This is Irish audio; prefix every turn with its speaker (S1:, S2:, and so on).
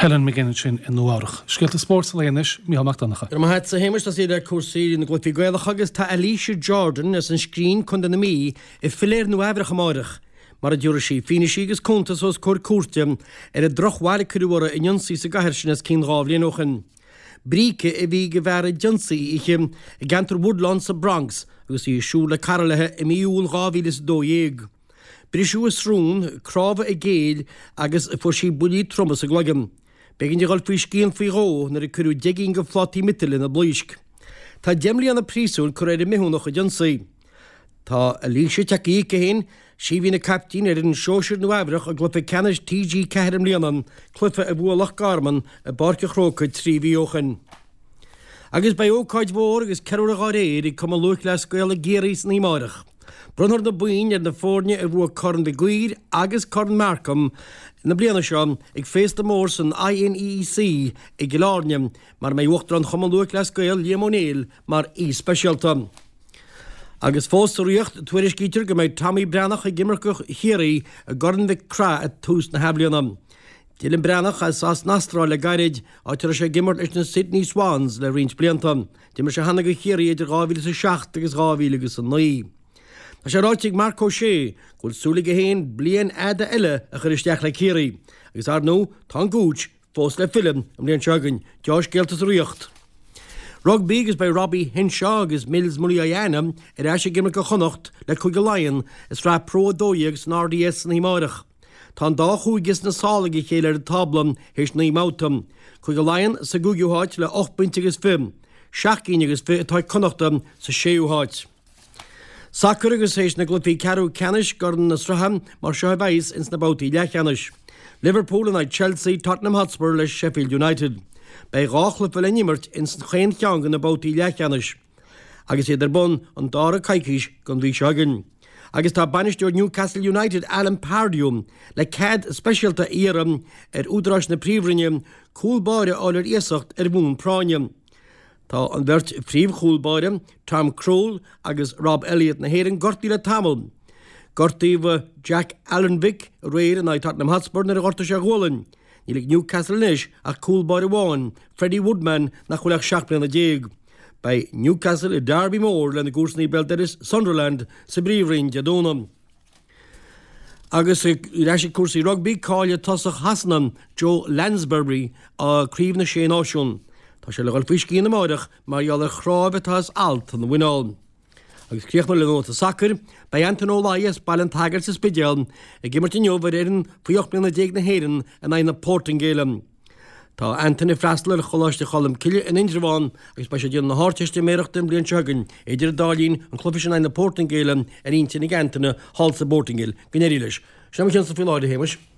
S1: Helen McGinn ansin i Nua Eabhrach. Scéalta spóirt an lae anois, Mícheál Mac Donncha.
S2: Go raibh maith agat, a Shéamais. Tosaí le cúrsaí na gcluichí Gaelacha agus tá Alicia Jordan as an Scrín, Contae na Mí, ag filleadh ar Nua Eabhrach amáireach, mar a dtabharfaidh sí fianaise agus cuntas os comhair cúirte ar an drochbhail a cuireadh uirthi in ionsaí sa gcathair sin os cionn 2 bhliain ó shin. Bríce a bhí ag an bhfear a d'ionsaigh í oíche i gceantar Woodlawn sa Bronx agus í ag siúl le cara léi i mí Iúil 2012. Briseadh a srón, cnámha a géill agus fuair sí buillí troma sa gcloigeann. B'éigean di dhul faoi scian faoi dhó nuair a cuireadh 10 gcinn de phlátaí miotail ina blaoisc. Tá 10 mbliana príosúin curtha ar an mbithiúnach a d'ionsaigh. Tá Alicia tagtha chuici féin, sí a bhí ina caiptín ar fhoireann sóisir Nua Eabhrach i gcluiche ceannais TG4 i mbliana, cluiche a bhuaigh Loch Garman i bPáirc an Chrócaigh 3 mhí ó shin. Agus beidh ócáid mhór agus ceiliúradh dhá réir ag Cumann Lúthchleas Gael i gCiarraí san oíche amárach. Bronnfar na boinn ar na foirne a bhuaigh Corn Mhig Uidhir agus Corn Marcom na bliana seo ag féasta mór san INEEC i gCill Airne, mar a mbeidh Uachtarán Chumann Lúthchleas Gael, Liam Ó Néill, mar aoi speisialta. Agus fós sa Ríocht, tuairiscítear go mbeidh Tommy Breathnach ag imirt do Chiarraí i gCorn Mhic Craith ag tús na hathbhliana. D'fhill an Breathnach as an Astráil le gairid, áit a raibh sé ag imirt leis na Sydney Swans le roinnt blianta. D'imir sé cheana do Chiarraí idir 2007 agus 2009. Tá sé ráite ag Marc Ó Sé go bhfuil súil aige féin bliain fhada eile a chur isteach le Ciarraí agus, ar ndóigh, tá an Gooch fós le filleadh an bhliain seo chugainn. Deá-scéalta sa Ríocht Rugbaí agus beidh Robbie Henshaw agus Mils Muliaina ar ais ag imirt do Chonnacht le Cúige Laighean i Sraith Pro 12 san RDS san oíche amárach. Tá an dá chúige sna sála ag a chéile ar an tábla théis 9 mbabhta. Cúige Laighean sa gcúigiú háit le 8 bpointe agus 20. 7 gcinn agus 20 atá ag Connachta sa séú háit. Sacar agus théis na gcluichí ceathrú ceannais gCorn na Sraithe mar seo a bheas ins na babhtaí leathcheannais. Liverpool in aghaidh Chelsea, Tottenham Hotspur le Sheffield United. Beidh 2 chluiche le n-imirt ins chaon cheann de na babhtaí leathcheannais agus iad ar bun an dara coicís den mhí seo chugainn. Agus tá bainisteoir Newcastle United Alan Pardew le cead speisialta a iarraidh ar údaráis na Príomhroinne cúl báire a fháil ar iasacht ar bhonn práinne. Tá an bheirt phríomhchúl báire, Tom Krul agus Rob Elliot na hÉireann gortaithe le tamall. Gortaíodh Jack Alnwick aréir in aghaidh Tottenham Hotspur nuair a ghortaigh sé a ghualainn. Níl ag Newcastle anois ach cúl báire amháin, Freddie Woodman, nach bhfuil ach 17 bliana. Beidh Newcastle i derby mór lena gcomharsanaí béal dorais Sunderland sa bPríomhroinn Dé Domhnaigh. Agus ar ais ag cúrsaí rugbaí, caillfidh tosach Shasana, Joe Lansbury, Craobh na Sé Náisiún. Tá sé le dhul faoi scian amáireach mar gheall ar chnámh atá as alt ina mhuineál. Agus críochnú le nóta sacair, beidh Anton Ó Laoi as Baile an tSagairt sa Spidéal ag imirt inniu ar fhoireann faoi 18 mbliana na hÉireann in aghaidh na Portaingéile. Tá Anton ag freastal ar Choláiste Cholmcille in Indreabhán agus beidh sé ag déanamh na hArdteistiméireachta an bhliain seo chugainn. Idir an dá linn, an cluiche sin in aghaidh na Portaingéile ar intinn ag Anton thall sa bPortaingéil. Go n-éirí leis. Sin é mo chionsa faoi láthair, a Shéamais.